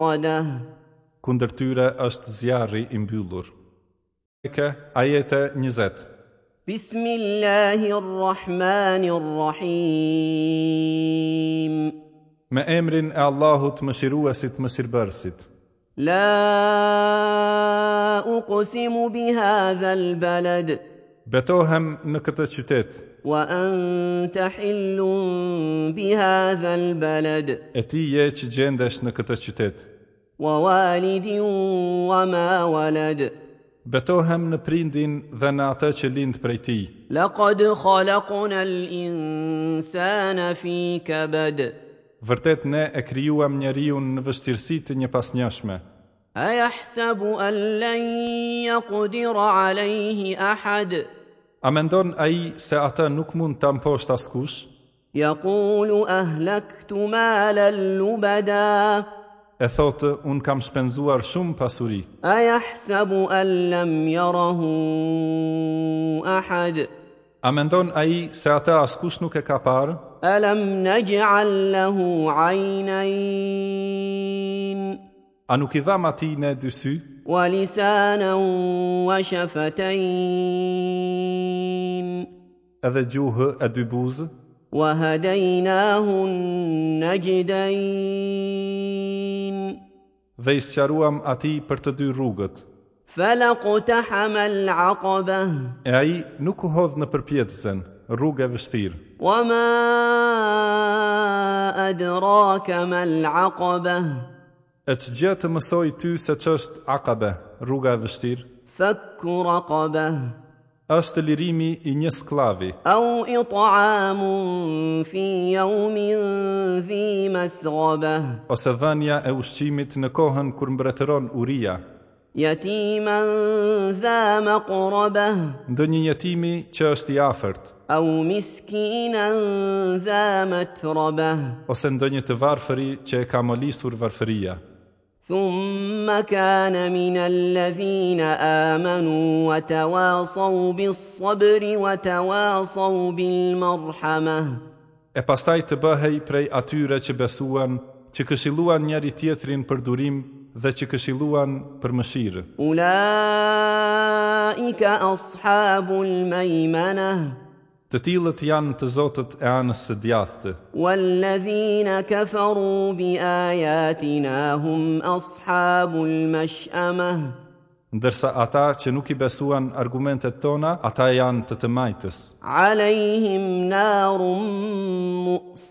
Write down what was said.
Kundër tyre është zjarri i mbyllur. Meke, ajete 20. Bismillahirrahmanirrahim. Me emrin e Allahut Mëshiruesit Mëshirbërësit. La uqsimu bihadha al-balad. Betohem në këtë qytet. Wa anta hillun bihadha al-balad. E ti je që gjendesh në këtë qytet. Wa walidin wa ma walad. Betohem në prindin dhe në atë që lind prej tij. Laqad khalaqna al-insana fi kabad. Vërtet ne e krijuam njeriun në vështirësi të njëpasnjëshme. Ayahsabu an lan yaqdira alayhi ahad. A mendon ai se atë nuk mund ta mposhtë askush? Yaqulu ahlaktu malan lubada. E thotë, unë kam shpenzuar shumë pasuri. Ayahsabu an lam yarahu ahad. A mendon ai se atë askush nuk e ka parë? Alam naj'al lahu 'aynayn A nuk i dhamë atij ne dy sy? Wa lisanan wa shafatayn Edhe gjuhë e dy buzë? Wa hadaynahu najdayn Dhe i sqaruam atij për të dy rrugët. Falaqtahama al-aqaba. E ai nuk u hodh në përpjetëzen, rrugë e vështirë. Wa ma adraka ma al-aqaba. E ç'gjë të mësoi ty se ç'është Akabe, rruga e vështirë? Fakku raqaba. Është lirimi i një skllavi. Au it'amun fi yawmin dhi masghaba. Ose dhënia e ushqimit në kohën kur mbretëron uria. Yatiman dha maqraba. Ndonjë jetimi që është i afërt. Au miskinan dha matraba. Ose ndonjë të varfëri që e ka molisur varfëria. Thumma kana min alladhina amanu wa tawasaw bis-sabri wa tawasaw bil-marhamah. E pastaj të bëhej prej atyre që besuan, që këshilluan njëri-tjetrin për durim dhe që këshilluan për mëshirë. Ulaika ashabul maymanah. Të tillët janë të zotët e anës së djathtë. Walladhina kafaru bi ayatina hum ashabul mash'amah. Ndërsa ata që nuk i besuan argumentet tona, ata janë të të majtës. Alejhim narun mu'sada.